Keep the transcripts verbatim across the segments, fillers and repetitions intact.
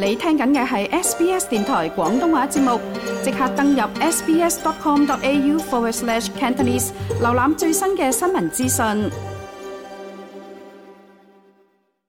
你聽緊嘅係 S B S 電台廣東話節目，即刻登入 sbs.com.au forward slash Cantonese， 瀏覽最新嘅新聞資訊。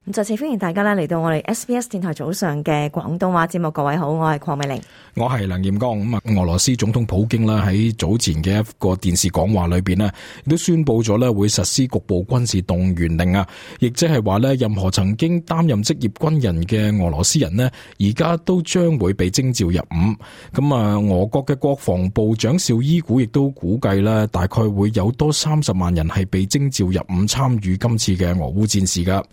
咁再次歡迎大家咧嚟到我哋 S B S 電台早上嘅廣東話節目。各位好，我係鄺美玲，我係梁彥剛。咁啊，俄羅斯總統普京啦喺早前嘅一個電視講話裏邊咧，亦都宣布咗咧會實施局部軍事動員令啊，亦即係話咧任何曾經擔任職業軍人嘅俄羅斯人咧，而家都將會被徵召入伍。咁啊，俄國嘅國防部長紹伊古亦都估計咧，大概會有多三十萬人係被徵召入伍參與今次嘅俄烏戰事噶。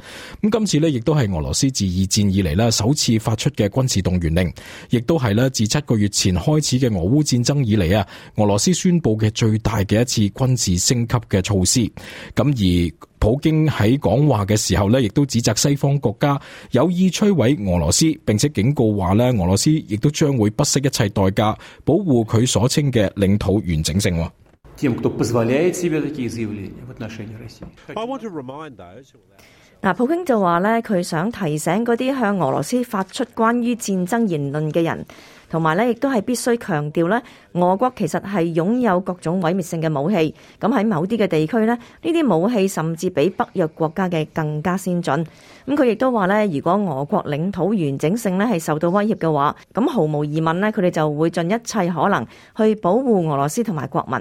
咁今次呢亦都係俄羅斯自二戰以嚟呢首次發出嘅軍事動員令，亦都係呢自七個月前開始嘅俄烏戰爭以嚟啊，俄羅斯宣布嘅最大嘅一次軍事升級嘅措施。咁而普京喺講話嘅時候呢，亦都指責西方國家有意摧毀俄羅斯，並且警告話呢，俄羅斯亦都將會不惜一切代價保護佢所稱嘅領土完整性。嗱，普京就話咧，佢想提醒嗰啲向俄羅斯發出關於戰爭言論嘅人，同埋咧，亦都係必須強調咧，俄國其實係擁有各種毀滅性嘅武器。咁喺某啲嘅地區咧，呢啲武器甚至比北約國家嘅更加先進。咁佢亦都話咧，如果俄國領土完整性咧係受到威脅嘅話，咁毫無疑問咧，佢哋就會盡一切可能去保護俄羅斯同埋國民。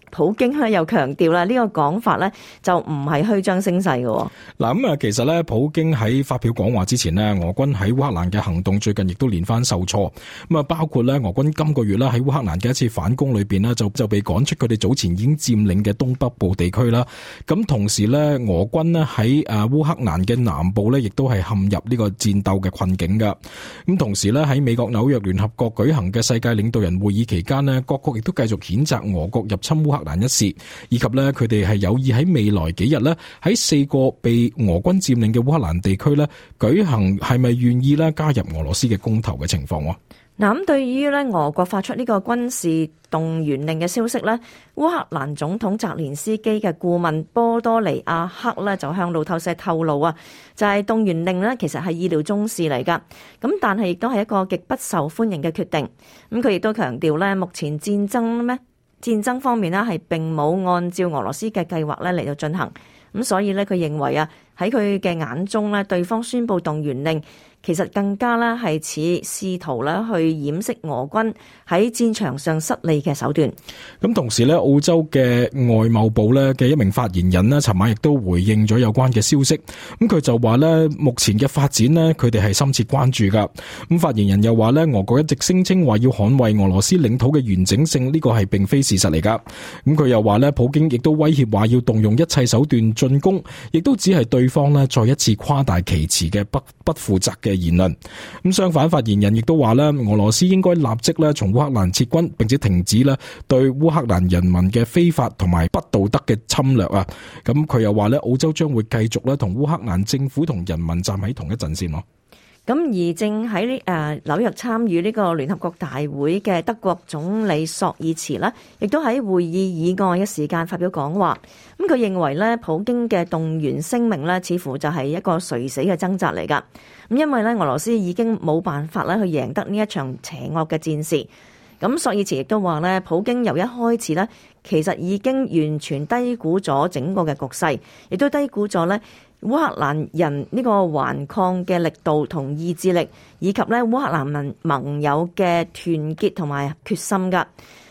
普京咧又強調啦，呢個講法咧就唔係虛張聲勢嘅。嗱咁啊，其實咧，普京喺發表講話之前咧，俄軍喺烏克蘭嘅行動最近亦都連番受挫。咁啊，包括咧，俄軍今個月啦喺烏克蘭嘅一次反攻裏邊咧，就就被趕出佢哋早前已經佔領嘅東北部地區啦。咁同時咧，俄軍咧喺誒烏克蘭嘅南部咧，亦都係陷入呢個戰鬥嘅困境噶。咁同時咧，喺美國紐約聯合國舉行嘅世界領導人會議期間咧，各國亦都繼續譴責俄國入侵烏克蘭蘭一事，以及咧佢哋係有意喺未來幾日咧喺四個被俄軍佔領嘅烏克蘭地區咧舉行係咪願意咧加入俄羅斯嘅公投嘅情況。嗱，咁對於咧俄國發出呢個軍事動員令嘅消息咧，烏克蘭總統澤連斯基嘅顧問波多利亞克咧就向路透社透露啊，就係動員令咧其實係意料中事嚟噶，咁但係亦都係一個極不受歡迎嘅決定。咁佢亦都強調咧，目前戰爭咩戰爭方面咧係並冇按照俄羅斯嘅計劃咧嚟到進行，咁所以咧佢認為啊喺佢嘅眼中咧，對方宣布動員令，其實更加咧係似試圖咧去掩飾俄軍喺戰場上失利嘅手段。咁同時咧，澳洲嘅外貿部咧嘅一名發言人咧，尋晚亦都回應咗有關嘅消息。咁佢就話咧，目前嘅發展咧，佢哋係深切關注噶。咁發言人又話咧，俄國一直聲稱話要捍衛俄羅斯領土嘅完整性，呢個係並非事實嚟噶。咁佢又話咧，普京亦都威脅話要動用一切手段進攻，亦都只係對方咧再一次誇大其詞嘅不不負責嘅言論。咁相反，發言人亦都話咧，俄羅斯應該立即咧從烏克蘭撤軍，並且停止咧對烏克蘭人民嘅非法同埋不道德嘅侵略啊！咁佢又話咧，澳洲將會繼續咧同烏克蘭政府同人民站喺同一陣線咯。咁而正喺誒紐約參與呢個聯合國大會嘅德國總理朔爾茨呢，亦都喺會議以外嘅時間發表講話。咁佢認為咧，普京嘅動員聲明咧，似乎就係一個垂死嘅掙扎嚟噶。咁因為咧，俄羅斯已經冇辦法咧去贏得呢一場邪惡嘅戰事。咁朔爾茨亦都話咧，普京由一開始咧，其實已經完全低估咗整個嘅局勢，亦都低估咗咧烏克蘭人呢個頑抗嘅力度同意志力，以及咧烏克蘭盟盟友嘅團結同埋決心噶。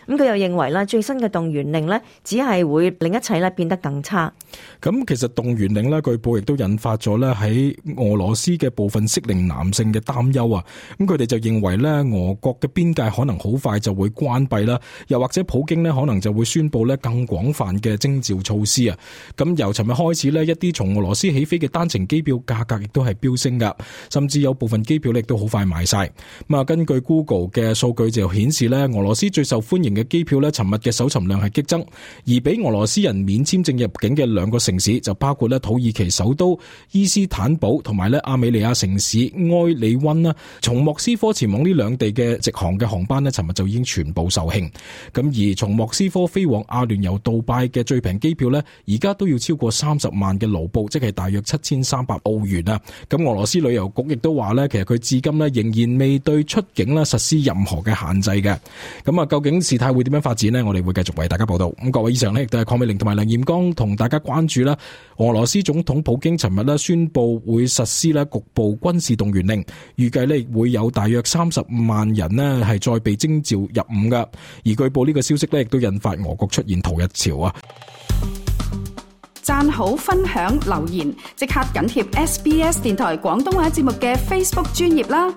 咁佢又認為咧，最新嘅動員令呢，只係會令一切咧變得更差。咁其實動員令呢，據報亦都引發咗咧喺俄羅斯嘅部分適齡男性嘅擔憂啊。咁佢哋就認為咧，俄國嘅邊界可能好快就會關閉啦，又或者普京呢可能就會宣布咧更廣泛嘅徵召措施啊。咁由尋日開始呢，一啲從俄羅斯起飛嘅單程機票價格亦都係飆升噶，甚至有部分機票亦都好快賣晒。咁啊，根據 Google 嘅數據就顯示咧，俄羅斯最受歡迎嘅機票咧，尋日嘅搜尋量係激增，而俾俄羅斯人免簽證入境嘅兩個城市就包括咧土耳其首都伊斯坦堡同埋咧亞美尼亞城市埃里溫啦。從莫斯科前往呢兩地嘅直航嘅航班咧，尋日就已經全部售罄。咁而從莫斯科飛往阿聯酋杜拜嘅最平機票咧，而家都要超過三十萬嘅盧布，即係大約七千三百澳元啊。咁俄羅斯旅遊局亦都話咧，其實佢至今咧仍然未對出境咧實施任何嘅限制嘅。咁啊，究竟事態會點樣發展呢？我哋會繼續為大家報道。咁各位以上呢，亦都係鄺美玲同埋梁艷剛同大家關注啦。俄羅斯總統普京尋日咧宣布會實施咧局部軍事動員令，預計咧會有大約三十萬人呢係再被徵召入伍噶。而據報呢個消息咧，亦都引發俄國出現逃日潮啊！讚好、分享、留言，即刻緊貼 S B S 電台廣東話節目嘅 Facebook 專頁啦！